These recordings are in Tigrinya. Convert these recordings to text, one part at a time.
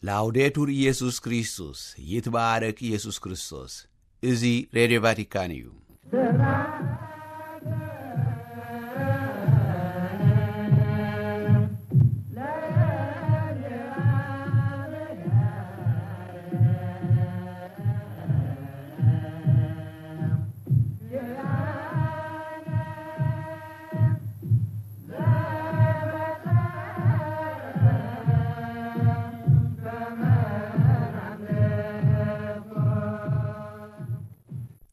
ላውዴቱር ኢየሱስ ክርስቶስ፣ ይትባረክ ኢየሱስ ክርስቶስ። እዚ ሬድዮ ቫቲካን እዩ።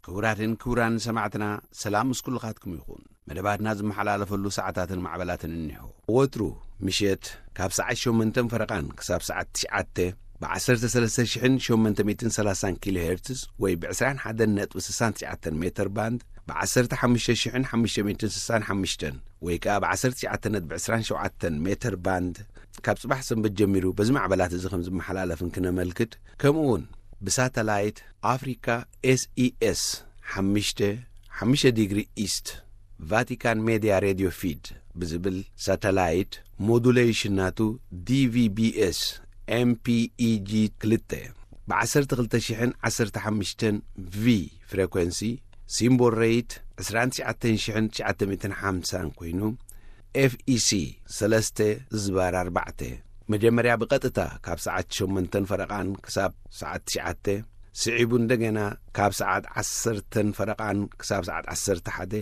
ክቡራትን ክቡራን ሰማዕትና፣ ሰላም ምስ ኩልኻትኩም ይኹን። መደባትና ዝመሓላለፈሉ ሰዓታትን ማዕበላትን እኒሆ። ወትሩ ምሸት ካብ ሰዓት ሸሞንተን ፈረቓን ክሳብ ሰዓት ትሽዓተ ብ ዓሰርተ ሰለስተ ሽሕን ሸሞንተ ሚእትን ሰላሳን ኪሎ ሄርትዝ ወይ ብ ዕስራን ሓደን ነጥቢ ስሳን ትሽዓተን ሜተር ባንድ፣ ብ ዓሰርተ ሓሙሽተ ሽሕን ሓሙሽተ ሚእትን ስሳን ሓሙሽተን ወይ ከኣ ብ ዓሰርተ ትሽዓተ ነጥቢ ዕስራን ሸውዓተን ሜተር ባንድ፣ ካብ ጽባሕ ሰንበት ጀሚሩ በዚ ማዕበላት እዚ ከም ዝመሓላለፍን ክነመልክት፣ ከምኡ እውን ብሳተላይት ኣፍሪካ ኤስኢኤስ ሓሙሽተ፣ ሓሙሽተ ዲግሪ ኢስት፣ ቫቲካን ሜድያ ሬድዮ ፊድ ብዝብል ሳተላይት፣ ሞዱሌሽን ናቱ ዲቪቢኤስ ኤምፒኢጂ ክልተ፣ ብ ዓሰርተ ክልተ ሽሕን ዓሰርተ ሓሙሽተን ቪ ፍሬኮንሲ፣ ሲምቦል ሬት ዕስራን ትሽዓተን ሽሕን ትሽዓተ ሚእትን ሓምሳን ኮይኑ፣ ኤፍኢሲ ሰለስተ ዝባር ኣርባዕተ፣ መጀመርያ ብቐጥታ ካብ ሰዓት ሸሞንተን ፈረቓን ክሳብ ሰዓት ትሽዓተ፣ ስዒቡ እንደገና ካብ ሰዓት ዓሰርተን ፈረቓን ክሳብ ሰዓት ዓሰርተ ሓደ፣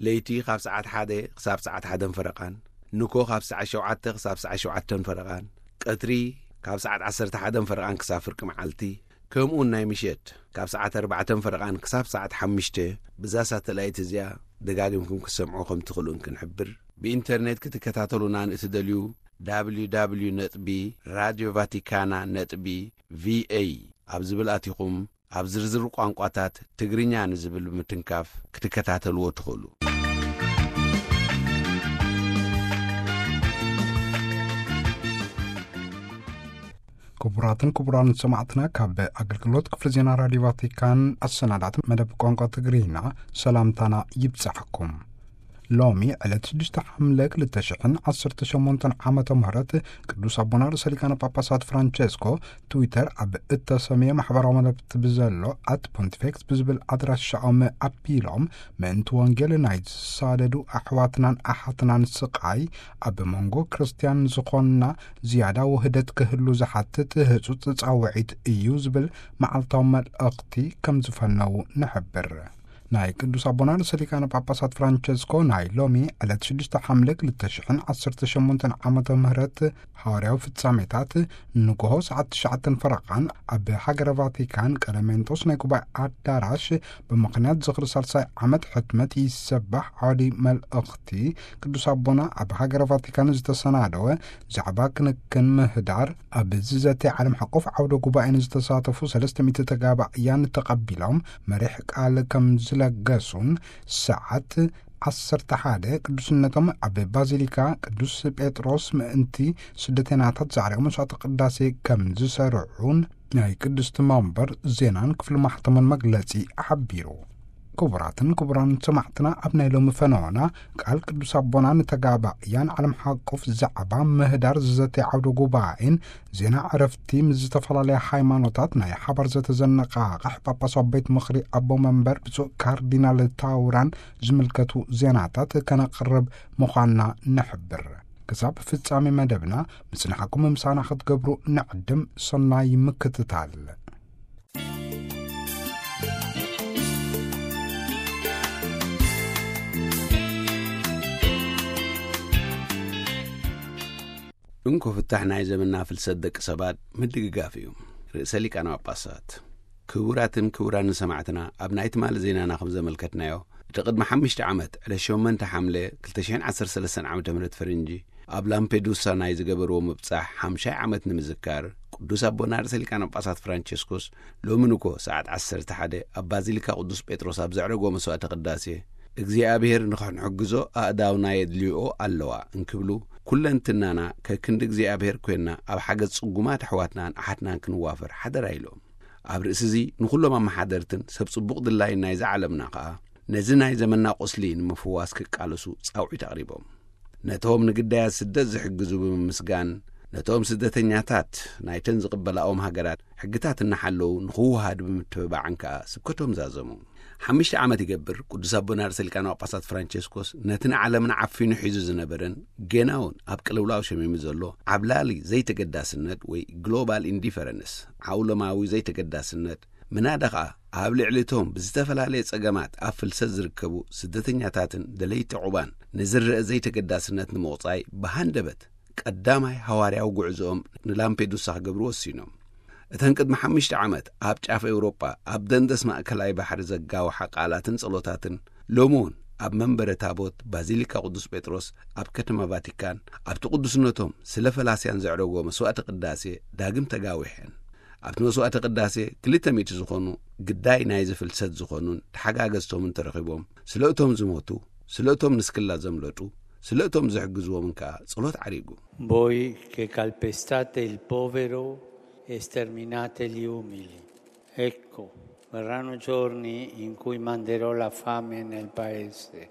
ለይቲ ካብ ሰዓት ሓደ ክሳብ ሰዓት ሓደን ፈረቓን፣ ንኮ ካብ ሰዓት ሸውዓተ ክሳብ ሰዓት ሸውዓተን ፈረቓን፣ ቀትሪ ካብ ሰዓት ዓሰርተ ሓደን ፈረቓን ክሳብ ፍርቂ መዓልቲ፣ ከምኡውን ናይ ምሸት ካብ ሰዓት ኣርባዕተን ፈረቓን ክሳብ ሰዓት ሓሙሽተ፣ ብዛ ሳተላይት እዚኣ ደጋጊምኩም ክትሰምዑ ከም ትኽእሉን ክንሕብር። ብኢንተርኔት ክትከታተሉና ንእትደልዩ፣ www ነጥቢ ራድዮ ቫቲካና ነጥቢ ቪኤ ኣብ ዝብል ኣቲኹም፣ ኣብ ዝርዝር ቋንቋታት ትግርኛ ንዝብል ብምትንካፍ ክትከታተልዎ ትኽእሉ። ክቡራትን ክቡራን ሰማዕትና፣ ካብ ኣገልግሎት ክፍሊ ዜና ራዲዮ ቫቲካን ኣሰናዳት መደብ ቋንቋ ትግርኛ ሰላምታና ይብጻሕኩም። ሎሚ ዕለት ሽዱሽተ ሓምለ ክልተ ሽሕን ዓሰርተ ሸሞንተን ዓመተ ምህረት ቅዱስ ኣቦና ርእሰ ሊቃነ ጳጳሳት ፍራንቸስኮ ትዊተር ኣብ እተሰምየ ማሕበራዊ መለብቲ ብዘሎ ኣት ፖንቲፌክስ ብዝብል ኣድራሻኦም ኣቢሎም፣ ምእንቲ ወንጌል ናይ ዝሳደዱ ኣሕዋትናን ኣሓትናን ስቓይ ኣብ መንጎ ክርስትያን ዝኾንና ዝያዳ ውህደት ክህሉ ዝሓትት ህጹጽ ጻውዒት እዩ ዝብል መዓልታዊ መልእኽቲ ከም ዝፈነዉ ንሕብር። ናይ ቅዱስ ኣቦና ርእሰ ሊቃነ ጳጳሳት ፍራንቸስኮ ናይ ሎሚ ዕለት ሽዱሽተ ሓምለ ክልተ ሽሕን ዓሰርተ ሸሞንተን ዓመተ ምህረት ሃዋርያዊ ፍጻሜታት ንግሆ ሰዓት ትሽዓተን ፈረቓን ኣብ ሃገረ ቫቲካን ቀለሜንጦስ ናይ ጉባኤ ኣዳራሽ ብምኽንያት ዝኽሪ ሳልሳይ ዓመት ሕትመት ይሰባሕ ዓውዲ መልእኽቲ ቅዱስ ኣቦና ኣብ ሃገረ ቫቲካን ዝተሰናደወ ዛዕባ ክንክን ምህዳር ኣብ ዝዘተ ዓለም ሓቆፍ ዓውደ ጉባኤ ንዝተሳተፉ ሰለስተ ሚእቲ ተጋባእያን ተቐቢሎም መሪሕ ቃል ከም ዝለገሱን ሰዓት ዓሰርተ ሓደ ቅዱስነቶም ኣብ ባዚሊካ ቅዱስ ጴጥሮስ ምእንቲ ስደተናታት ዛዕሪኦም መስዋዕተ ቅዳሴ ከም ዝሰርዑን ናይ ቅድስቲ መንበር ዜናን ክፍሊ ማሕተምን መግለጺ ሓቢሩ። ክቡራትን ክቡራን ሰማዕትና፣ ኣብ ናይ ሎሚ ፈነወና ቃል ቅዱስ ኣቦና ንተጋባእያን ዓለም ሓቆፍ ዛዕባ ምህዳር ዝዘተ ዓውደ ጉባኤን ዜና ዕረፍቲ ምስ ዝተፈላለያ ሃይማኖታት ናይ ሓባር ዘተዘነቃቕሕ ጳጳሳዊ ቤት ምኽሪ ኣቦ መንበር ብፁዕ ካርዲናል ታውራን ዝምልከቱ ዜናታት ከነቕርብ ምዃንና ንሕብር። ክሳብ ፍጻሜ መደብና ምጽናሕኩም ምሳና ክትገብሩ ንዕድም። ሰናይ ምክትታል። እንኮ ፍታሕ ናይ ዘመንና ፍልሰት ደቂ ሰባት ምድግጋፍ እዩ። ርእሰ ሊቃነ ጳጳሳት። ክቡራትን ክቡራን ሰማዕትና፣ ኣብ ናይ ትማሊ ዜናና ከም ዘመልከትናዮ፣ እቲ ቅድሚ ሓሙሽተ ዓመት ዕለት ሸሞንተ ሓምለ ክልተ ሽሕን ዓሰርተ ሰለስተን ዓመተ ምህረት ፈረንጂ ኣብ ላምፔዱሳ ናይ ዝገበርዎ ምብጻሕ ሓምሻይ ዓመት ንምዝካር፣ ቅዱስ ኣቦና ርእሰ ሊቃነ ጳጳሳት ፍራንቸስኮስ ሎሚ ንግሆ ሰዓት ዓሰርተ ሓደ ኣብ ባዚሊካ ቅዱስ ጴጥሮስ ኣብ ዘዕረጎ መስዋዕተ ቅዳሴ፣ እግዚኣብሔር ንኽንሕግዞ ኣእዳውና የድልይኦ ኣለዋ እንክብሉ፣ ኩለንትናና ከክንዲ እግዚኣብሔር ኮይንና ኣብ ሓገዝ ጽጉማት ኣሕዋትናን ኣሓትናን ክንዋፈር ሓደራ ኢሎም። ኣብ ርእሲ እዚ ንኹሎም ኣመሓደርትን ሰብ ጽቡቕ ድላይን ናይዛ ዓለምና ከኣ ነዚ ናይ ዘመንና ቁስሊ ንምፍዋስ ክቃለሱ ጻውዒት ኣቕሪቦም። ነቶም ንግዳያት ስደት ዝሕግዙ ብምምስጋን፣ ነቶም ስደተኛታት ናይተን ዝቕበላኦም ሃገራት ሕግታት እናሓለዉ ንኽወሃዱ ብምትብባዕን ከኣ ስብከቶም ዛዘሙ። ሓሙሽተ ዓመት ይገብር፣ ቅዱስ ኣቦና ርእሰ ሊቃነ ጳጳሳት ፍራንቸስኮስ ነቲ ንዓለምና ዓፊኑ ሒዙ ዝነበረን ጌናውን ኣብ ቅልውላው ሸሚሙ ዘሎ ዓብላሊ ዘይተገዳስነት ወይ ግሎባል ኢንዲፈረንስ፣ ዓውለማዊ ዘይተገዳስነት፣ ምናዳ ኸኣ ኣብ ልዕሊ እቶም ብዝተፈላለየ ጸገማት ኣብ ፍልሰት ዝርከቡ ስደተኛታትን ደለይቲ ዕቑባን ንዝረአ ዘይተገዳስነት ንምቑጻይ ብሃንደበት ቀዳማይ ሃዋርያዊ ጉዕዞኦም ንላምፔዱሳ ክገብሩ ወሲኖም። እተን ቅድሚ ሓሙሽተ ዓመት ኣብ ጫፍ ኤውሮጳ ኣብ ደንደስ ማእከላይ ባሕሪ ዘጋውሓ ቃላትን ጸሎታትን፣ ሎሚ እውን ኣብ መንበረ ታቦት ባዚሊካ ቅዱስ ጴጥሮስ ኣብ ከተማ ቫቲካን፣ ኣብቲ ቅዱስነቶም ስለ ፈላስያን ዘዕረጎ መስዋዕተ ቅዳሴ ዳግም ተጋዊሐን። ኣብቲ መስዋዕተ ቅዳሴ ክልተ ሚእቲ ዝኾኑ ግዳይ ናይዚ ፍልሰት ዝኾኑን ተሓጋገዝቶምን ተረኺቦም፣ ስለ እቶም ዝሞቱ፣ ስለ እቶም ንስክላ ዘምለጡ፣ ስለ እቶም ዝሕግዝዎምን ከኣ ጸሎት ዓሪጉ። Voi che calpestate il povero e sterminate gli umili. Ecco, verranno giorni in cui manderò la fame nel paese,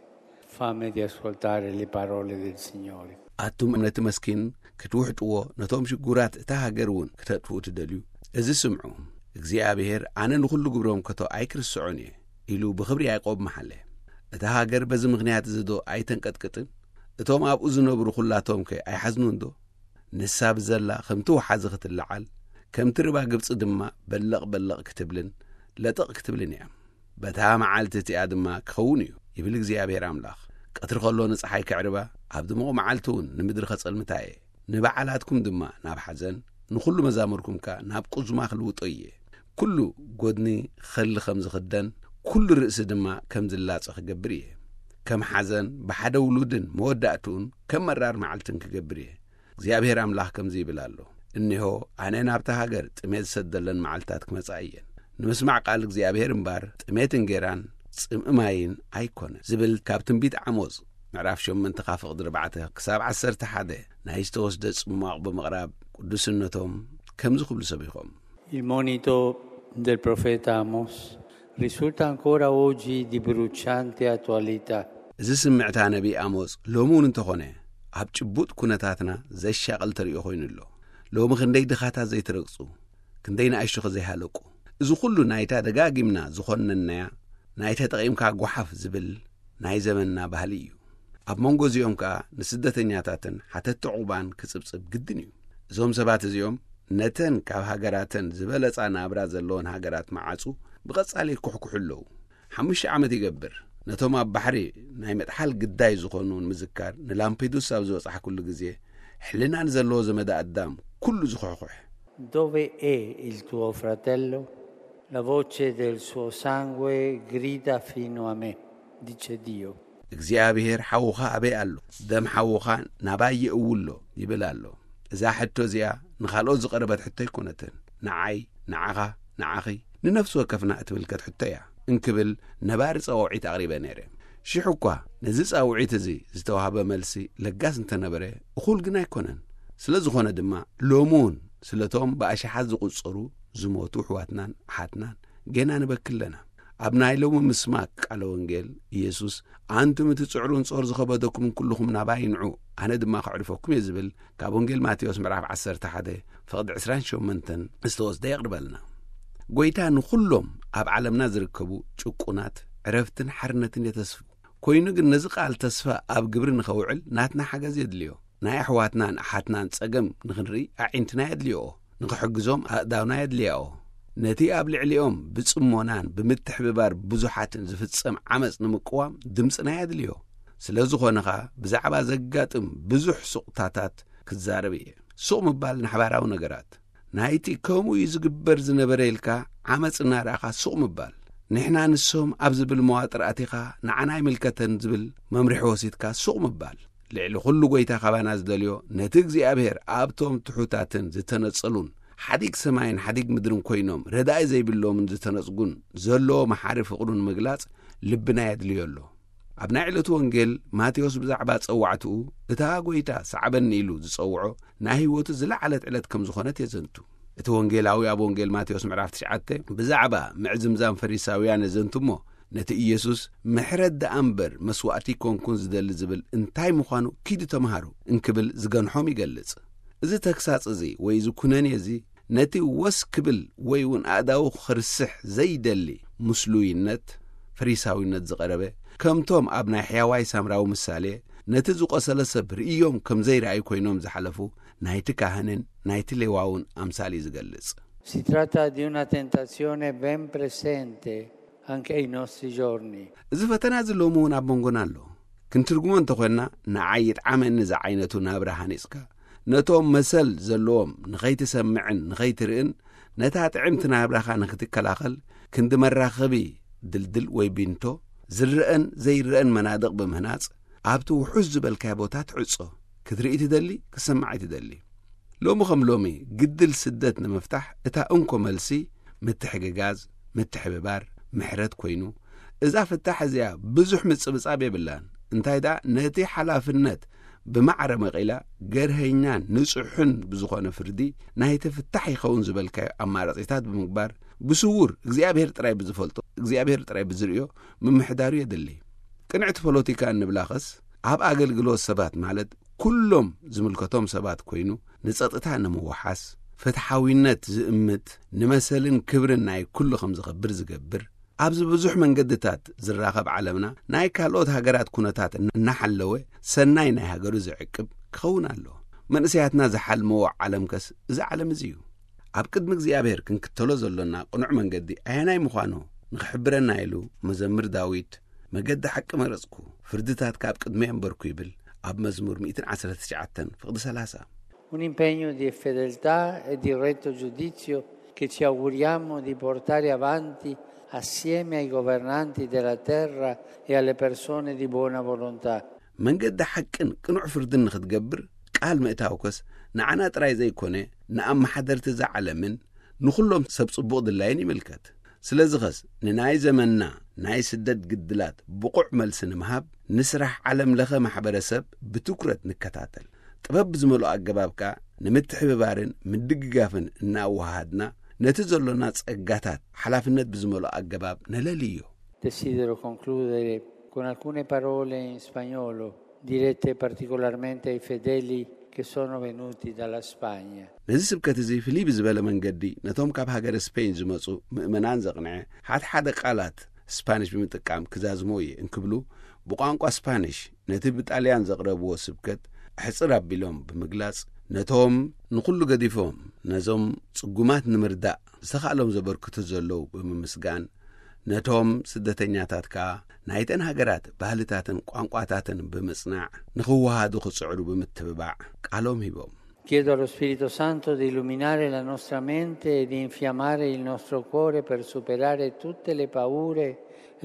fame di ascoltare le parole del Signore. ኣቱም ነቲ መስኪን ክትውሕጥዎ፣ ነቶም ሽጉራት እታ ሃገር እውን ክተጥፍኡ ትደልዩ፣ እዚ ስምዑ። እግዚኣብሔር ኣነ ንኹሉ ግብሮም ከቶ ኣይክርስዖን እየ ኢሉ ብኽብሪ ያዕቆብ መሓለ። እታ ሃገር በዚ ምኽንያት እዚ ዶ ኣይተንቀጥቅጥን? እቶም ኣብኡ ዝነብሩ ኹላቶም ከ ኣይሓዝኑን ዶ? ንሳ ብዘላ ከምቲ ወሓዚ ክትለዓል፣ ከምቲ ርባ ግብጺ ድማ በለቕ በለቕ ክትብልን ለጠቕ ክትብልን እያ። በታ መዓልቲ እቲኣ ድማ ክኸውን እዩ፣ ይብል እግዚኣብሔር ኣምላኽ። ቀትሪ ከሎ ንጸሓይ ከዕርባ፣ ኣብ ድሙቕ መዓልቲ እውን ንምድሪ ከጸልምታ እየ። ንበዓላትኩም ድማ ናብ ሓዘን፣ ንኹሉ መዛሙርኩም ከኣ ናብ ቁዝማ ክልውጦ እየ። ኩሉ ጎድኒ ኸሊ ከም ዝኽደን፣ ኩሉ ርእሲ ድማ ከም ዝላጸ ክገብር እየ። ከም ሓዘን ብሓደ ውሉድን መወዳእትኡን ከም መራር መዓልትን ክገብር እየ። እግዚኣብሔር ኣምላኽ ከምዚ ይብል ኣሎ፣ እነሆ ኣነ ናብታ ሃገር ጥሜት ዝሰደለን መዓልታት ክመጻ እየን። ንምስማዕ ቃል እግዚኣብሔር እምባር ጥሜት እንጌራን ጽምኢ ማይን ኣይኮነን፣ ዝብል ካብ ትንቢት ዓሞጽ ምዕራፍ ሸሞንተ ካብ ፍቕዲ ኣርባዕተ ክሳብ ዓሰርተ ሓደ ናይ ዝተወስደ ጽሟቕ ብምቕራብ ቅዱስነቶም ከምዚ ክብሉ ሰቢኾም። Il monito del profeta Amos risulta ancora oggi di bruciante attualità. እዚ ስምዕታ ነቢይ ኣሞጽ ሎሚ እውን እንተኾነ ኣብ ጭቡጥ ኩነታትና ዘሻቕል ተርእዮ ኮይኑ ኣሎ። ሎሚ ክንደይ ድኻታት ዘይተረግጹ፣ ክንደይ ንኣሽቱ ዘይሃለቁ። እዚ ኩሉ ናይታ ደጋጊምና ዝኾነናያ፣ ናይታ ጠቒምካ ጓሓፍ ዝብል ናይ ዘመንና ባህሊ እዩ። ኣብ መንጎ እዚኦም ከኣ ንስደተኛታትን ሓተቲ ዕቑባን ክጽብጽብ ግድን እዩ። እዞም ሰባት እዚኦም ነተን ካብ ሃገራተን ዝበለጻ ናብራ ዘለወን ሃገራት መዓጹ ብቐጻሊ ይኩሕኩሑ ኣለዉ። ሓሙሽተ ዓመት ይገብር፣ ነቶም ኣብ ባሕሪ ናይ ምጥሓል ግዳይ ዝኾኑ ንምዝካር ንላምፔዱሳ ኣብ ዝበጻሕኩሉ ግዜ፣ ሕልና ንዘለዎ ዘመደ ኣዳም ኩሉ ዝኹሕኩሕ። Dove è il tuo fratello? La voce del suo sangue grida fino a me, dice Dio. እግዚኣብሔር ሓውኻ ኣበይ ኣሎ? ደም ሓውኻ ናባይ የእውሎ ይብል ኣሎ። እዛ ሕቶ እዚኣ ንኻልኦት ዝቐረበት ሕቶ ኣይኮነትን። ንዓይ፣ ንዓኻ፣ ንዓኺ፣ ንነፍሲ ወከፍና እትምልከት ሕቶ እያ እንክብል ነባሪ ጸዋውዒት ኣቕሪበ ነይረ። ሽሕ እኳ ነዚ ጻውዒት እዚ ዝተዋህበ መልሲ ለጋስ እንተነበረ፣ እኹል ግን ኣይኮነን። ስለ ዝኾነ ድማ ሎሚ እውን ስለቶም ብኣሽሓት ዝቑጸሩ ዝሞቱ ኣሕዋትናን ኣሓትናን ጌና ንበኪ ኣለና። ኣብ ናይ ሎሚ ምስማክ ቃለ ወንጌል ኢየሱስ፣ ኣንቱም እቲ ጽዕሩን ጾር ዝኸበደኩምን ኩልኹም ናባይ ንዑ፣ ኣነ ድማ ከዕርፈኩም እየ ዝብል ካብ ወንጌል ማቴዎስ ምዕራፍ ዓሰርተ ሓደ ፍቕዲ ዕስራን ሸሞንተን ዝተወስደ የቕርበልና። ጐይታ ንኹሎም ኣብ ዓለምና ዝርከቡ ጭቁናት ዕረፍትን ሓርነትን የተስፉ። ኮይኑ ግን ነዚ ቃል ተስፋ ኣብ ግብሪ ንኸውዕል ናትና ሓገዝ የድልዮ። ናይ ኣሕዋትናን ኣሓትናን ጸገም ንኽንርኢ ኣዒንትና የድልዮኦ፣ ንኽሕግዞም ኣእዳውና የድልያኦ። ነቲ ኣብ ልዕሊኦም ብጽሞናን ብምትሕብባር ብዙሓትን ዝፍጸም ዓመጽ ንምቅዋም ድምጽና የድልዮ። ስለ ዝኾነ ኸኣ ብዛዕባ ዘጋጥም ብዙሕ ሱቕታታት ክዛረብ እየ። ሱቕ ምባል ንሓባራዊ ነገራት፣ ናይቲ ከምኡ እዩ ዝግበር ዝነበረ ኢልካ ዓመጽ እናረኣኻ ሱቕ ምባል፣ ንሕና ንሶም ኣብ ዝብል መዋጥር ኣቲኻ ንዓና ኣይምልከተን ዝብል መምርሒ ወሲድካ ሱቕ ምባል። ልዕሊ ኩሉ ጐይታ ካባና ዝደልዮ ነቲ እግዚኣብሔር ኣብቶም ትሑታትን ዝተነጸሉን ሓዲግ ሰማይን ሓዲግ ምድርን ኮይኖም ረዳኢ ዘይብሎምን ዝተነጽጉን ዘለዎ መሓሪ ፍቕሩ ንምግላጽ ልብና የድልዮ ኣሎ። ኣብ ናይ ዕለቱ ወንጌል ማቴዎስ ብዛዕባ ጸዋዕትኡ እታ ጐይታ ሰዓበኒ ኢሉ ዝጸውዖ ናይ ህይወቱ ዝለዓለት ዕለት ከም ዝኾነት የዘንቱ። እቲ ወንጌላዊ ኣብ ወንጌል ማቴዎስ ምዕራፍ ትሽዓተ ብዛዕባ ምዕዝምዛም ፈሪሳውያን የዘንቱ እሞ፣ ነቲ ኢየሱስ ምሕረት ደኣ እምበር መስዋእቲ ኣይኮንኩን ዝደሊ ዝብል እንታይ ምዃኑ ኪዱ ተምሃሩ እንክብል ዝገንሖም ይገልጽ። እዚ ተግሳጽ እዚ ወይ እዚ ኩነኔ እዚ ነቲ ወስ ክብል ወይ እውን ኣእዳዉ ክርስሕ ዘይደሊ ምስሉይነት፣ ፈሪሳዊነት ዝቐረበ፣ ከምቶም ኣብ ናይ ሕያዋይ ሳምራዊ ምሳሌ ነቲ ዝቖሰለ ሰብ ርእዮም ከም ዘይረኣዩ ኮይኖም ዝሓለፉ ናይቲ ካህንን ናይቲ ሌዋውን ኣምሳል እዩ ዝገልጽ። Si tratta di una tentazione ben presente anche ai nostri giorni. እዚ ፈተና እዚ ሎሚ እውን ኣብ መንጎና ኣሎ። ክንትርጉሞ እንተኾንና፣ ንዓይ ይጥዓመኒ ዝዓይነቱ ናብራ ሃኒጽካ፣ ነቶም መሰል ዘለዎም ንኸይትሰምዕን ንኸይትርእን፣ ነታ ጥዕምቲ ናብራኻ ንኽትከላኸል፣ ክንዲ መራኸቢ ድልድል ወይ ቢንቶ፣ ዝረአን ዘይረአን መናድቕ ብምህናጽ፣ ኣብቲ ውሑስ ዝበልካዮ ቦታ ትዕጾ። ክትርኢ ትደሊ፣ ክትሰማዕ ትደሊ። ሎሚ ከም ሎሚ፣ ግድል ስደት ንምፍታሕ እታ እንኮ መልሲ፣ ምትሕግጋዝ፣ ምትሕብባር፣ ምሕረት ኮይኑ፣ እዛ ፍታሕ እዚኣ ብዙሕ ምጽብጻብ የብላን። እንታይ ደኣ፣ ነቲ ሓላፍነት ብማዕረ መቒላ፣ ገርሀኛን ንጹሕን ብዝኾነ ፍርዲ ናይቲ ፍታሕ ይኸውን ዝበልካዮ ኣማራጺታት ብምግባር፣ ብስዉር እግዚኣብሔር ጥራይ ብዝፈልጦ፣ እግዚኣብሔር ጥራይ ብዝርእዮ ምምሕዳሩ የድሊ። ቅንዕቲ ፖለቲካ እንብላኸስ፣ ኣብ ኣገልግሎት ሰባት ማለት ኩሎም ዝምልከቶም ሰባት ኮይኑ፣ ንጸጥታ ንምውሓስ፣ ፍትሓዊነት ዝእምት፣ ንመሰልን ክብርን ናይ ኩሉ ከም ዝኸብር ዝገብር፣ ኣብዚ ብዙሕ መንገድታት ዝራኸብ ዓለምና፣ ናይ ካልኦት ሃገራት ኩነታት እናሓለወ፣ ሰናይ ናይ ሃገሩ ዝዕቅብ ክኸውን ኣሎ። መንእሰያትና ዝሓልምዎ ዓለምከስ እዚ ዓለም እዚ እዩ። ኣብ ቅድሚ እግዚኣብሔር ክንክተሎ ዘሎና ቅኑዕ መንገዲ ኣየናይ ምዃኑ ንኽሕብረና ኢሉ መዘምር ዳዊት፣ "መገዲ ሓቂ መረጽኩ፣ ፍርድታት ካብ ቅድመይ ኣንበርኩ" ይብል ኣብ መዝሙር ሚእትን ዓሰርተ ትሽዓተን ፍቕዲ ሰላሳ። Un impegno di fedeltà e di retto giudizio che ci auguriamo di portare avanti assieme ai governanti della terra e alle persone di buona volontà. መንገዲ ሓቅን ቅኑዕ ፍርድን ንኽትገብር ቃል ምእታውከስ፣ ንዓና ጥራይ ዘይኮነ፣ ንኣመሓደርቲ እዛ ዓለምን ንኹሎም ሰብ ጽቡቕ ድላይን ይምልከት። ስለዚኸስ፣ ንናይ ዘመንና ናይ ስደት ግድላት ብቑዕ መልሲ ንምሃብ፣ ንስራሕ ዓለም ለኸ ማሕበረሰብ ብትኩረት ንከታተል። ጥበብ ብዝመልኦ ኣገባብ ከኣ ንምትሕብባርን ምድግጋፍን እናወሃሃድና፣ ነቲ ዘሎና ጸጋታት ሓላፍነት ብዝመልኦ ኣገባብ ነለልዮ። Desidero concludere con alcune parole in spagnolo, dirette particolarmente ai fedeli che sono venuti dalla Spagna. ነዚ ስብከት እዚ ፍልይ ብዝበለ መንገዲ ነቶም ካብ ሃገረ ስፔን ዝመጹ ምእመናን ዘቕንዐ፣ ሓደ ሓደ ቃላት ስፓኒሽ ብምጥቃም ክዛዝሞ እየ እንክብሉ፣ ብቋንቋ ስፓኒሽ ነቲ ብጣልያን ዘቕረብዎ ስብከት ኣሕጽር ኣቢሎም ብምግላጽ፣ ነቶም ንኹሉ ገዲፎም ነዞም ጽጉማት ንምርዳእ ዝተኻእሎም ዘበርክቱ ዘለዉ ብምምስጋን፣ ነቶም ስደተኛታት ከኣ ናይተን ሃገራት ባህልታትን ቋንቋታትን ብምጽናዕ፣ ንኽወሃዱ ክጽዕሩ ብምትብባዕ ቃሎም ሂቦም። Chiedo allo Spirito Santo di illuminare la nostra mente e di infiammare il nostro cuore per superare tutte le paure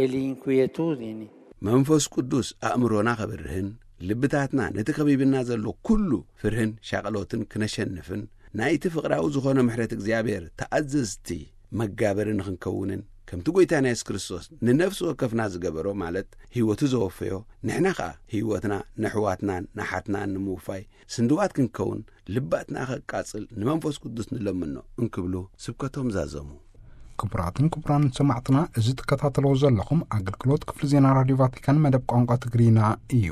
e le inquietudini. መንፈስ ቅዱስ ኣእምሮና ከብርህን፣ ልብታትና ነቲ ከቢብና ዘሎ ኩሉ ፍርህን ሻቕሎትን ክነሸንፍን፣ ናይቲ ፍቕራዊ ዝኾነ ምሕረት እግዚኣብሔር ተኣዘዝቲ መጋበሪ ንኽንከውንን፣ ከምቲ ጐይታና የሱስ ክርስቶስ ንነፍሲ ወከፍና ዝገበሮ፣ ማለት ህይወቱ ዘወፈዮ፣ ንሕና ኸኣ ህይወትና ንኣሕዋትናን ንሓትናን ንምውፋይ ስንድዋት ክንከውን፣ ልባትና ኸቃጽል ንመንፈስ ቅዱስ ንለምኖ እንክብሉ ስብከቶም ዛዘሙ። ክቡራትን ክቡራን ሰማዕትና፣ እዚ ትከታተልዎ ዘለኹም ኣገልግሎት ክፍሊ ዜና ራድዮ ቫቲካን መደብ ቋንቋ ትግርኛ እዩ።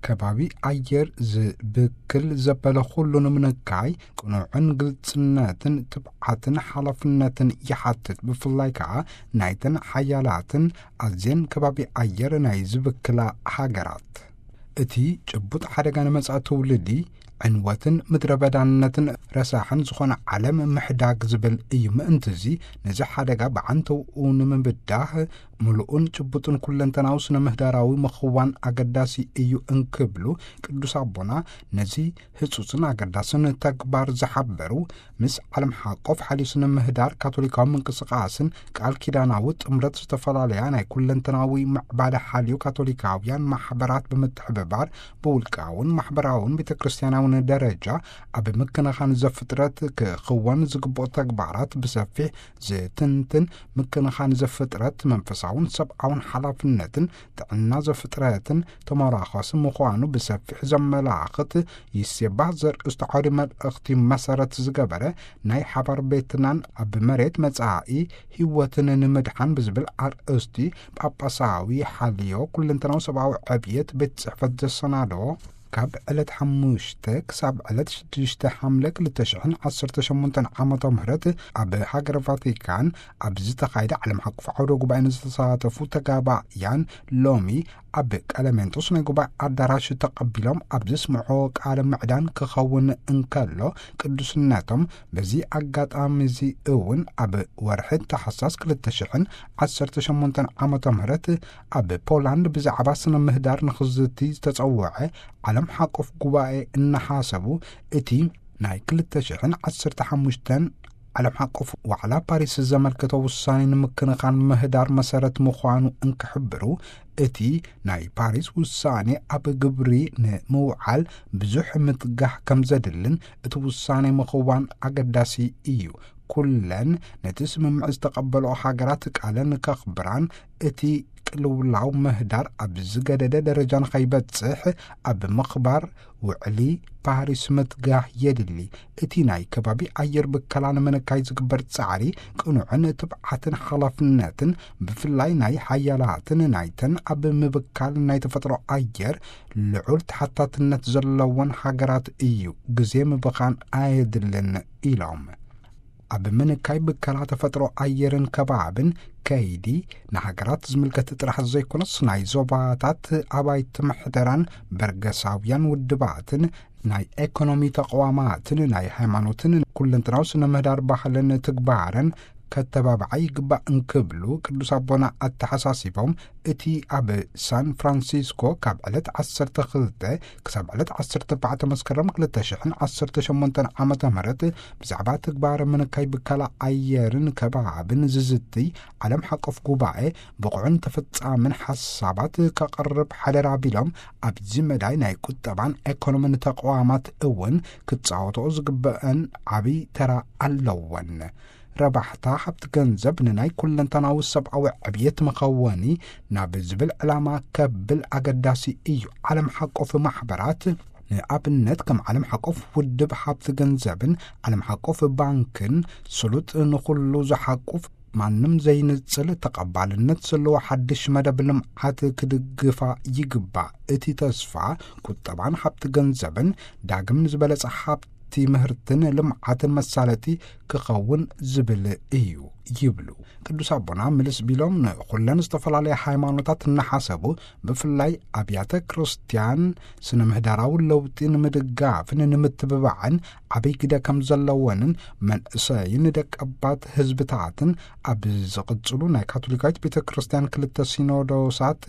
ከባቢ ኣየር ዝብክል ዘበለ ኩሉ ንምንካይ ቅኑዕን ግልጽነትን ትብዓትን ሓላፍነትን ይሓትት። ብፍላይ ከኣ ናይተን ሓያላትን ኣዝየን ከባቢ ኣየር ናይ ዝብክላ ሃገራት። እቲ ጭቡጥ ሓደጋ ንመጻኢ ትውልዲ ዕንወትን ምድረ በዳነትን ረሳሕን ዝኾነ ዓለም ምሕዳግ ዝብል እዩ። ምእንትዚ ነዚ ሓደጋ ብዓንተውኡ ንምብዳህ ምሉእን ጭቡጥን ኩለንተናዊ ስነ ምህዳራዊ ምኽዋን ኣገዳሲ እዩ እንክብሉ ቅዱስ ኣቦና ነዚ ህጹጽን ኣገዳስን ተግባር ዝሓበሩ ምስ ዓለም ሓቆፍ ሓልዩ ስነ ምህዳር ካቶሊካዊ ምንቅስቃስን ቃል ኪዳናዊ ጥምረት ዝተፈላለያ ናይ ኩለንተናዊ ምዕባለ ሓልዩ ካቶሊካውያን ማሕበራት ብምትሕብባር ብውልቃውን ማሕበራውን ቤተ ክርስቲያናውን ደረጃ ኣብ ምክንኻን ዘፍጥረት ክኽወን ዝግብኦ ተግባራት ብሰፊሕ ዝትንትን፣ ምክንኻን ዘፍጥረት መንፈሳውን ሰብኣውን ሓላፍነትን ጥዕና ዘፍጥረትን ተመራኸሲ ምዃኑ ብሰፊሕ ዘመላኽት ይሴባህ ዘርእስቱ ዓውዲ መልእኽቲ መሰረት ዝገበረ ናይ ሓባር ቤትናን ኣብ መሬት መጻኢ ህይወትን ንምድሓን ብዝብል ኣርእስቲ ጳጳሳዊ ሓልዮ ኩለንተናዊ ሰብኣዊ ዕብየት ቤት ጽሕፈት ዘሰናደዎ ካብ ዕለት ሓሙሽተ ክሳብ ዕለት ሽዱሽተ ሓምለ ክልተ ሽሕን ዓሰርተ ሸሞንተን ዓመተ ምህረት ኣብ ሃገረ ቫቲካን ኣብ ዝተኻየደ ዓለም ሓቆፍ ዓውደ ጉባኤ ንዝተሳተፉ ተጋባእያን ሎሚ ኣብ ቀለሜንጦስ ናይ ጉባኤ ኣዳራሽ ተቐቢሎም ኣብ ዘስምዖ ቃለ ምዕዳን ክኸውን እንከሎ፣ ቅዱስነቶም በዚ ኣጋጣሚ እዚ እውን ኣብ ወርሒ ታሕሳስ ክልተ ሽሕን ዓሰርተ ሸሞንተን ዓመተ ምህረት ኣብ ፖላንድ ብዛዕባ ስነ ምህዳር ንኽዝቲ ዝተጸውዐ ዓለም ሓቆፍ ጉባኤ እናሓሰቡ፣ እቲ ናይ ክልተ ሽሕን ዓሰርተ ሓሙሽተን ዓለም ሓቆፍ ዋዕላ ፓሪስ ዘመልከተ ውሳኔ ንምክንኻን ምህዳር መሰረት ምዃኑ እንክሕብሩ፣ እቲ ናይ ፓሪስ ውሳኔ ኣብ ግብሪ ንምውዓል ብዙሕ ምትጋህ ከም ዘድልን እቲ ውሳኔ ምኽዋን ኣገዳሲ እዩ። ኩለን ነቲ ስምምዕ ዝተቐበልኦ ሃገራት ቃለን ከኽብራን፣ እቲ ቅልውላው ምህዳር ኣብ ዝገደደ ደረጃ ንኸይበጽሕ ኣብ ምኽባር ውዕሊ ፓሪስ ምትጋህ የድሊ። እቲ ናይ ከባቢ ኣየር ብከላ ንምንካይ ዝግበር ጻዕሪ ቅኑዕን ትብዓትን ሓላፍነትን፣ ብፍላይ ናይ ሓያላትን ናይተን ኣብ ምብካል ናይ ተፈጥሮ ኣየር ልዑል ተሓታትነት ዘለወን ሃገራት እዩ። ግዜ ምብኻን ኣየድልን ኢሎም። ኣብ ምንካይ ብከላ ተፈጥሮ ኣየርን ከባብን ከይዲ ንሃገራት ዝምልከት ጥራሕ ዘይኮነስ፣ ናይ ዞባታት ኣባይቲ ምሕደራን በርገሳውያን ውድባትን ናይ ኤኮኖሚ ተቋማትን ናይ ሃይማኖትን ኩለንትናዊ ስነ ምህዳር ባህልን ትግባረን ከተባብዓ ይግባእ እንክብሉ ቅዱስ ኣቦና ኣተሓሳሲቦም፣ እቲ ኣብ ሳን ፍራንሲስኮ ካብ ዕለት ዓሰርተ ክልተ ክሳብ ዕለት ዓሰርተ ኣርባዕተ መስከረም ክልተ ሽሕን ዓሰርተ ሸሞንተን ዓመተ ምህረት ብዛዕባ ትግባረ ምንካይ ብከላ ኣየርን ከባብን ዝዝትይ ዓለም ሓቆፍ ጉባኤ ብቑዕን ተፈጻምን ሓሳባት ከቕርብ ሓደራ ቢሎም፣ ኣብዚ መዳይ ናይ ቁጠባን ኤኮኖምን ተቋማት እውን ክጻወትኦ ዝግበአን ዓብይ ተራ ኣለወን። ረባሕታ ሃብቲ ገንዘብ ንናይ ኩለንተናዊ ሰብኣዊ ዕብየት መኸወኒ ናብ ዝብል ዕላማ ከብል ኣገዳሲ እዩ። ዓለም ሓቆፍ ማሕበራት፣ ንኣብነት ከም ዓለም ሓቆፍ ውድብ ሃብቲ ገንዘብን ዓለም ሓቆፍ ባንክን፣ ስሉጥ ንኹሉ ዝሓቁፍ ማንም ዘይንጽል ተቐባልነት ዘለዎ ሓድሽ መደብ ልምዓት ክድግፋ ይግባእ። እቲ ተስፋ ቁጠባን ሃብቲ ገንዘብን ዳግም ንዝበለጸ ሃብቲ ምህርትን ልምዓትን መሳለጢ ክኸውን ዝብል እዩ ይብሉ። ቅዱስ ኣቦና ምልስ ቢሎም፣ ንኹለን ዝተፈላለያ ሃይማኖታት እናሓሰቡ፣ ብፍላይ ኣብያተ ክርስቲያን ስነ ምህዳራዊ ለውጢ ንምድጋፍን ንምትብባዕን ዓብይ ግደ ከም ዘለወንን፣ መንእሰይን ደቀባት ህዝብታትን ኣብ ዝቕጽሉ ናይ ካቶሊካዊት ቤተ ክርስቲያን ክልተ ሲኖዶሳት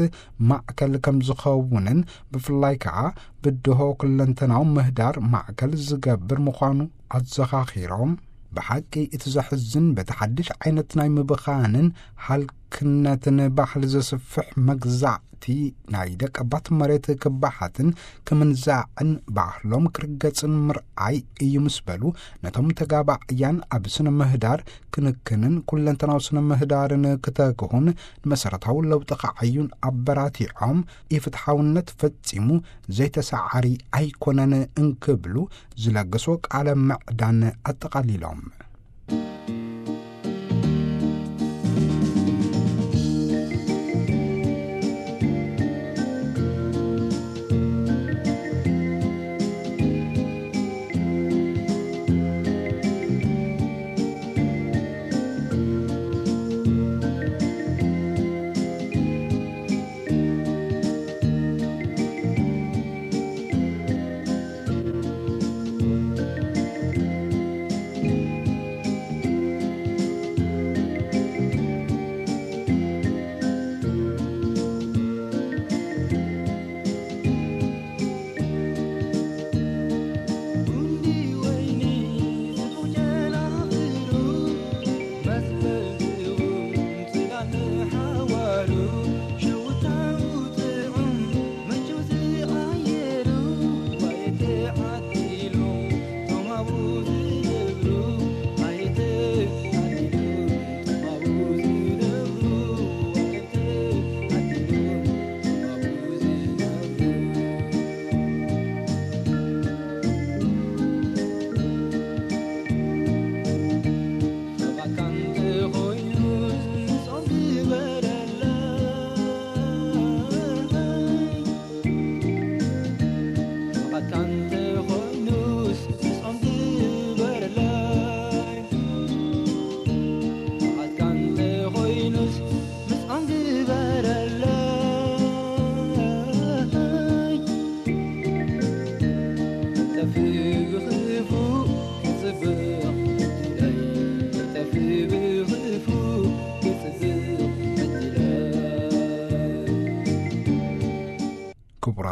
ማእከል ከም ዝኸውንን፣ ብፍላይ ከኣ ብድሆ ኩለንተናዊ ምህዳር ማእከል ዝገብር ምዃኑ ኣዘኻኺሮም፣ ብሓቂ እቲ ዘሕዝን በቲ ሓድሽ ዓይነት ናይ ምብኻንን ሃልክነትን ባህሊ ዘስፍሕ መግዛእቲ ናይ ደቀባት መሬት ክበሓትን ክምንዛዕን ባህሎም ክርገጽን ምርኣይ እዩ ምስ በሉ፣ ነቶም ተጋባእያን ኣብ ስነ ምህዳር ክንክንን ኩለንተናዊ ስነ ምህዳርን ክተግሁን ንመሰረታዊ ለውጢ ከዓዩን ኣበራቲዖም፣ ኢፍትሓውነት ፈጺሙ ዘይተሰዓሪ ኣይኮነን እንክብሉ ዝለገስዎ ቃለ ምዕዳን ኣጠቓሊሎም።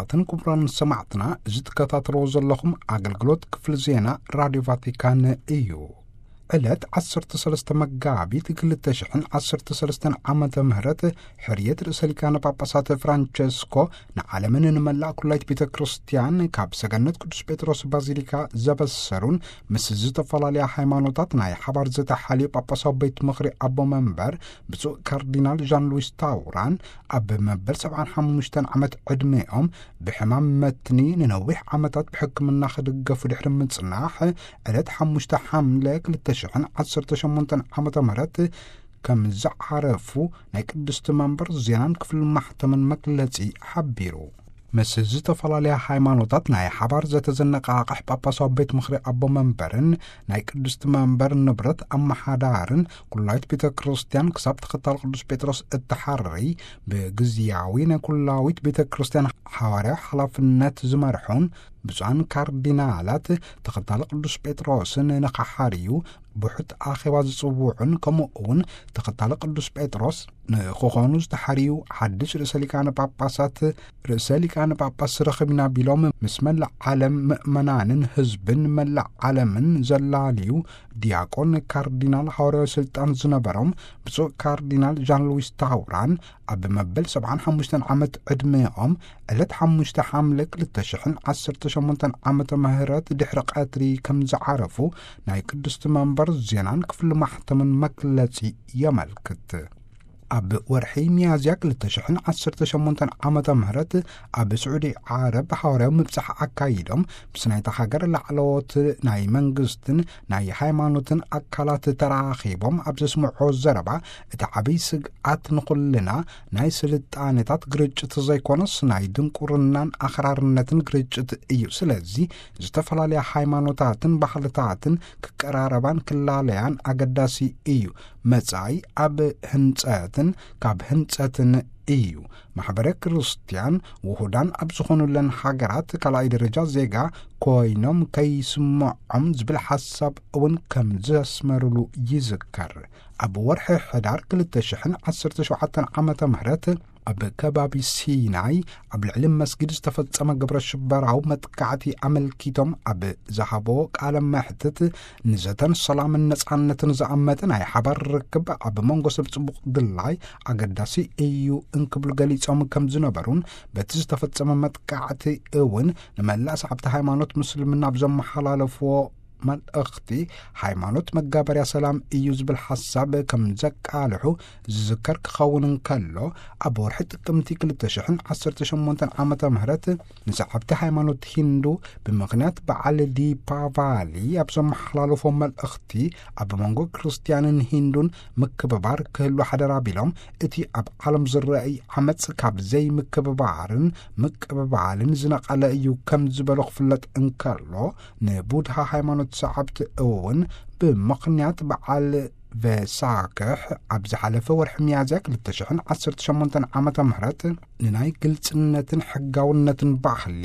ክቡራትን ክቡራን ሰማዕትና፣ እዚ ትከታተልዎ ዘለኹም ኣገልግሎት ክፍሊ ዜና ራድዮ ቫቲካን እዩ። ዕለት ዓሰርተ ሰለስተ መጋቢት ክልተ ሽሕን ዓሰርተ ሰለስተን ዓመተ ምህረት፣ ሕርየት ርእሰ ሊቃነ ጳጳሳት ፍራንቸስኮ ንዓለምን ንመላእ ኩላይት ቤተ ክርስቲያን ካብ ሰገነት ቅዱስ ጴጥሮስ ባዚሊካ ዘበሰሩን፣ ምስ ዝተፈላለያ ሃይማኖታት ናይ ሓባር ዝተሓልዩ ጳጳሳዊ ቤት ምኽሪ ኣቦ መንበር ብፁዕ ካርዲናል ዣን ሉዊስ ታውራን፣ ኣብ መበል ሰብዓን ሓሙሽተን ዓመት ዕድሜኦም ብሕማም መትኒ ንነዊሕ ዓመታት ብሕክምና ክድገፉ ድሕሪ ምጽናሕ፣ ዕለት ሓሙሽተ ሓምለ ክልተ ሽሕን ዓሰርተ ሸሞንተን ዓመተ ምህረት ከም ዝዓረፉ ናይ ቅድስቲ መንበር ዜናን ክፍሊ ማሕተምን መግለጺ ሓቢሩ። ምስ ዝተፈላለያ ሃይማኖታት ናይ ሓባር ዘተዘነቃቕሕ ጳጳሳዊ ቤት ምኽሪ ኣቦ መንበርን ናይ ቅድስቲ መንበር ንብረት ኣመሓዳርን፣ ኩላዊት ቤተ ክርስቲያን ክሳብ ተኸታል ቅዱስ ጴጥሮስ እትሓርይ፣ ብግዝያዊ ናይ ኩላዊት ቤተ ክርስቲያን ሓዋርያዊ ሓላፍነት ዝመርሑን ብፁዓን ካርዲናላት ተኸታሊ ቅዱስ ጴጥሮስን ንኸሓርዩ ብውሑድ ኣኼባ ዝጽውዑን፣ ከምኡ እውን ተኸታሊ ቅዱስ ጴጥሮስ ንክኾኑ ዝተሓርዩ ሓድሽ ርእሰ ሊቃነ ጳጳሳት፣ ርእሰ ሊቃነ ጳጳስ ረኺብና ቢሎም ምስ መላእ ዓለም ምእመናንን ህዝብን መላእ ዓለምን ዘላልዩ ዲያቆን ካርዲናል ሓዋርያዊ ስልጣን ዝነበሮም ብፁዕ ካርዲናል ዣን ሉዊስ ታውራን፣ ኣብ መበል ሰብዓን ሓሙሽተን ዓመት ዕድሜኦም ዕለት ሓሙሽተ ሓምለ ክልተ ሽሕን ዓሰርተ ሸሞንተን ዓመተ ምህረት ድሕሪ ቀትሪ ከም ዝዓረፉ ናይ ቅድስቲ መንበር ዜናን ክፍሊ ማሕተምን መግለጺ የመልክት። ኣብ ወርሒ ሚያዝያ ክልተ ሽሕን ዓሰርተ ሸሞንተን ዓመተ ምህረት ኣብ ስዑዲ ዓረብ ሓዋርያዊ ምብጻሕ ኣካይዶም፣ ምስ ናይታ ሃገር ላዕለዎት ናይ መንግስትን ናይ ሃይማኖትን ኣካላት ተራኺቦም ኣብ ዘስምዖ ዘረባ፣ እቲ ዓብይ ስግኣት ንኹልና ናይ ስልጣኔታት ግርጭት ዘይኮነስ፣ ናይ ድንቁርናን ኣኽራርነትን ግርጭት እዩ። ስለዚ ዝተፈላለያ ሃይማኖታትን ባህልታትን ክቀራረባን ክላለያን ኣገዳሲ እዩ። መጻኢ ኣብ ህንጸትን ካብ ህንጸትን እዩ። ማሕበረ ክርስቲያን ውሁዳን ኣብ ዝኾኑለን ሃገራት ካልኣይ ደረጃ ዜጋ ኮይኖም ከይስምዖም ዝብል ሓሳብ እውን ከም ዘስመሩሉ ይዝከር። ኣብ ወርሒ ሕዳር ክልተ ሽሕን ዓሰርተ ሸውዓተን ዓመተ ምህረት ኣብ ከባቢ ሲናይ ኣብ ልዕሊ መስጊድ ዝተፈጸመ ግብረ ሽበራዊ መጥቃዕቲ ኣመልኪቶም ኣብ ዝሃቦ ቃለ መሕትት፣ ንዘተን ሰላምን ነጻነትን ዝኣመተ ናይ ሓባር ርክብ ኣብ መንጎ ሰብ ጽቡቕ ድላይ ኣገዳሲ እዩ እንክብሉ ገሊጾም ከም ዝነበሩን፣ በቲ ዝተፈጸመ መጥቃዕቲ እውን ንመላእ ሰዓብቲ ሃይማኖት ምስልምና ኣብ ዘመሓላለፍዎ መልእኽቲ፣ ሃይማኖት መጋበርያ ሰላም እዩ ዝብል ሓሳብ ከም ዘቃልሑ ዝዝከር ክኸውን እንከሎ፣ ኣብ ወርሒ ጥቅምቲ ክልተ ሽሕን ዓሰርተ ሸሞንተን ዓመተ ምህረት ንሰዓብቲ ሃይማኖት ሂንዱ ብምኽንያት በዓል ዲፓቫሊ ኣብ ዘመሓላለፎ መልእኽቲ፣ ኣብ መንጎ ክርስትያንን ሂንዱን ምክብባር ክህሉ ሓደራ ቢሎም፣ እቲ ኣብ ዓለም ዝረኣይ ዓመጽ ካብ ዘይምክብባርን ምቅብባልን ዝነቐለ እዩ ከም ዝበሎ ክፍለጥ እንከሎ፣ ንቡድሃ ሃይማኖት ሰዓብቲ እውን ብምኽንያት በዓል ቬሳክሕ ኣብ ዝሓለፈ ወርሒ ሚያዝያ ክልተ ሽሕን ዓሰርተ ሸሞንተን ዓመተ ምህረት ንናይ ግልጽነትን ሕጋውነትን ባህሊ፣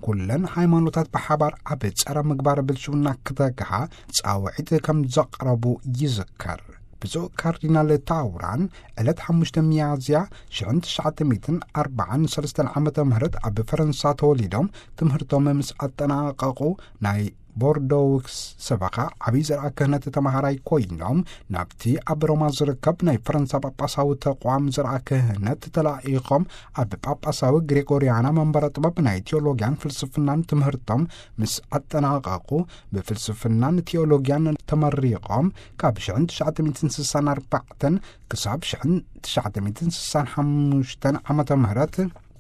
ኩለን ሃይማኖታት ብሓባር ኣብ ጸረ ምግባር ብልሽውና ክተግሃ ጻውዒት ከም ዘቕረቡ ይዝከር። ብፁዕ ካርዲናል ታውራን ዕለት ሓሙሽተ ሚያዝያ ሽሕን ትሽዓተ ሚእትን ኣርባዓን ሰለስተን ዓመተ ምህረት ኣብ ፈረንሳ ተወሊዶም፣ ትምህርቶም ምስ ኣጠናቐቑ ናይ ቦርዶውስ ሰበኻ ዓብዪ ዘርኣ ክህነት ተማሃራይ ኮይኖም፣ ናብቲ ኣብ ሮማ ዝርከብ ናይ ፈረንሳ ጳጳሳዊ ተቋም ዘርኣ ክህነት ተላኢኾም፣ ኣብ ጳጳሳዊ ግሬጎርያና መንበረ ጥበብ ናይ ቲዮሎጊያን ፍልስፍናን ትምህርቶም ምስ ኣጠናቐቑ፣ ብፍልስፍናን ቲዮሎጊያን ተመሪቖም፣ ካብ ሽሕን ትሽዓተ ሚእትን ስሳን ኣርባዕተን ክሳብ ሽሕን ትሽዓተ ሚእትን ስሳን ሓሙሽተን ዓመተ ምህረት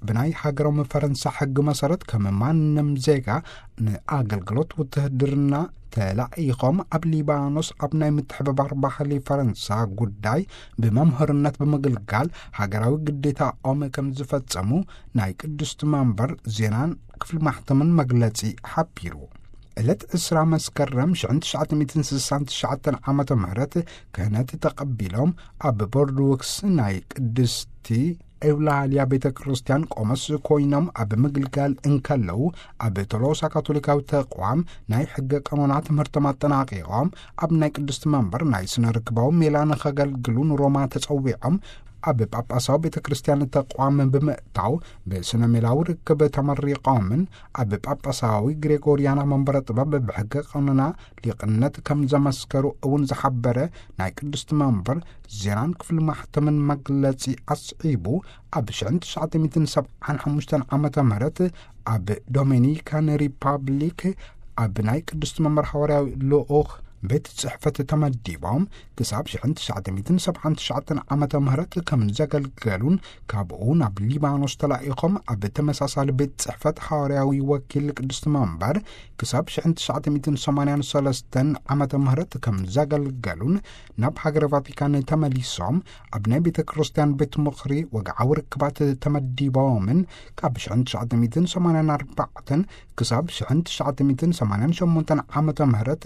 ብናይ ሃገሮም ፈረንሳ ሕጊ መሰረት፣ ከም ማንም ዜጋ ንኣገልግሎት ውትህድርና ተላኢኾም፣ ኣብ ሊባኖስ ኣብ ናይ ምትሕብባር ባህሊ ፈረንሳ ጉዳይ ብመምህርነት ብምግልጋል ሃገራዊ ግዴታኦም ከም ዝፈጸሙ ናይ ቅድስቲ መንበር ዜናን ክፍሊ ማሕተምን መግለጺ ሓቢሩ። ዕለት ዕስራ መስከረም ሽሕን ትሽዓተ ሚእትን ስሳን ትሽዓተን ዓመተ ምህረት ክህነት ተቐቢሎም፣ ኣብ ቦርድውክስ ናይ ቅድስቲ ኤውላልያ ቤተ ክርስቲያን ቆመስ ኮይኖም ኣብ ምግልጋል እንከለዉ፣ ኣብ ቶሎሳ ካቶሊካዊ ተቋም ናይ ሕገ ቀኖና ትምህርቶም ኣጠናቂቖም፣ ኣብ ናይ ቅድስቲ መንበር ናይ ስነ ርክባዊ ሜላ ንኸገልግሉ ንሮማ ተጸዊዖም፣ ኣብ ጳጳሳዊ ቤተ ክርስቲያን ተቋም ብምእታው ብስነ ሜላዊ ርክብ ተመሪቖምን ኣብ ጳጳሳዊ ግሬጎርያና መንበረ ጥበብ ብሕገ ቀኖና ሊቕነት ከም ዘመስከሩ እውን ዝሓበረ ናይ ቅድስቲ መንበር ዜናን ክፍሊ ማሕተምን መግለጺ ኣስዒቡ፣ ኣብ ሽሕን ትሽዓተ ሚእትን ሰብዓን ሓሙሽተን ዓመተ ምህረት ኣብ ዶሚኒካን ሪፓብሊክ ኣብ ናይ ቅድስቲ መንበር ሓዋርያዊ ልኡኽ ቤት ጽሕፈት ተመዲቦም ክሳብ ሽሕን ትሽዓተ ሚእትን ሰብዓን ትሽዓተን ዓመተ ምህረት ከም ዘገልገሉን፣ ካብኡ ናብ ሊባኖስ ተላኢኾም ኣብ ተመሳሳሊ ቤት ጽሕፈት ሓዋርያዊ ወኪል ቅድስቲ መንበር ክሳብ ሽሕን ትሽዓተ ሚእትን ሰማንያን ሰለስተን ዓመተ ምህረት ከም ዘገልገሉን፣ ናብ ሃገረ ቫቲካን ተመሊሶም ኣብ ናይ ቤተ ክርስቲያን ቤት ምኽሪ ወግዓዊ ርክባት ተመዲቦምን፣ ካብ ሽሕን ትሽዓተ ሚእትን ሰማንያን ኣርባዕተን ክሳብ ሽሕን ትሽዓተ ሚእትን ሰማንያን ሸሞንተን ዓመተ ምህረት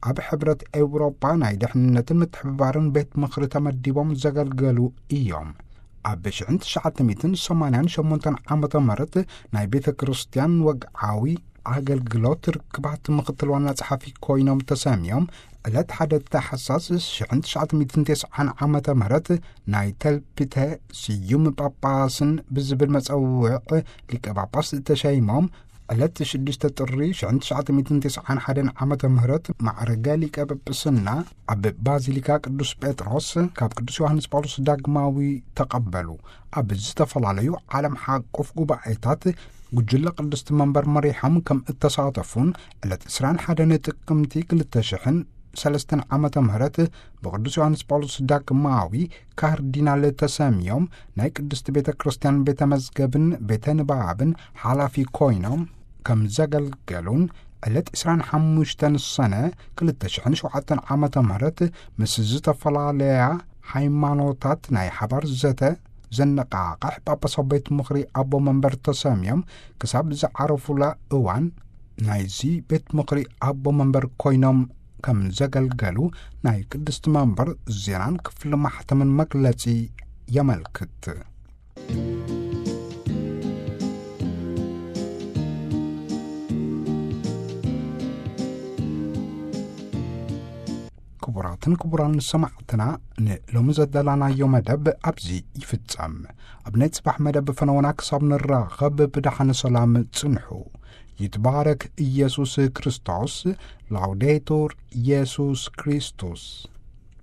ኣብ ሕብረት ኤውሮጳ ናይ ድሕንነትን ምትሕብባርን ቤት ምኽሪ ተመዲቦም ዘገልገሉ እዮም። ኣብ ሽሕን ትሽዓተ ሚእትን ሰማንያን ሸሞንተን ዓመተ ምህረት ናይ ቤተ ክርስቲያን ወግዓዊ ኣገልግሎት ርክባት ምኽትል ዋና ጸሓፊ ኮይኖም ተሰምዮም፣ ዕለት ሓደ ታሕሳስ ሽሕን ትሽዓተ ሚእትን ተስዓን ዓመተ ምህረት ናይ ተልፒተ ስዩም ጳጳስን ብዝብል መጸውዕ ሊቀ ጳጳስ ተሸይሞም፣ ዕለት ሽዱሽተ ጥሪ ሽሕን ትሽዓተ ሚእትን ተስዓን ሓደን ዓመተ ምህረት ማዕረገ ሊቀ ጳጳስና ኣብ ባዚሊካ ቅዱስ ጴጥሮስ ካብ ቅዱስ ዮሃንስ ጳውሎስ ዳግማዊ ተቐበሉ። ኣብ ዝተፈላለዩ ዓለም ሓቆፍ ጉባኤታት ጉጅለ ቅድስቲ መንበር መሪሖም ከም እተሳተፉን፣ ዕለት ዕስራን ሓደን ጥቅምቲ ክልተ ሽሕን ሰለስተን ዓመተ ምህረት ብቅዱስ ዮሃንስ ጳውሎስ ዳግማዊ ካርዲናል ተሰምዮም ናይ ቅድስቲ ቤተ ክርስቲያን ቤተ መዝገብን ቤተ ንባብን ሓላፊ ኮይኖም ከም ዘገልገሉን፣ ዕለት ዕስራን ሓሙሽተን ሰነ ክልተ ሽሕን ሸውዓተን ዓመተ ምህረት ምስ ዝተፈላለያ ሃይማኖታት ናይ ሓባር ዘተ ዘነቃቕሕ ጳጳሳዊ ቤት ምኽሪ ኣቦ መንበር ተሰምዮም ክሳብ ዝዓረፉላ እዋን ናይዚ ቤት ምኽሪ ኣቦ መንበር ኮይኖም ከም ዘገልገሉ ናይ ቅድስቲ መንበር ዜናን ክፍሊ ማሕተምን መግለጺ የመልክት። ክቡራትን ክቡራን ሰማዕትና፣ ንሎሚ ዘዳላናዮ መደብ ኣብዚ ይፍጸም። ኣብ ናይ ጽባሕ መደብ ፈነወና ክሳብ ንራኸብ ብደሓን ሰላም ጽንሑ። ይትባረክ ኢየሱስ ክርስቶስ። ላውዴቱር ኢየሱስ ክርስቶስ።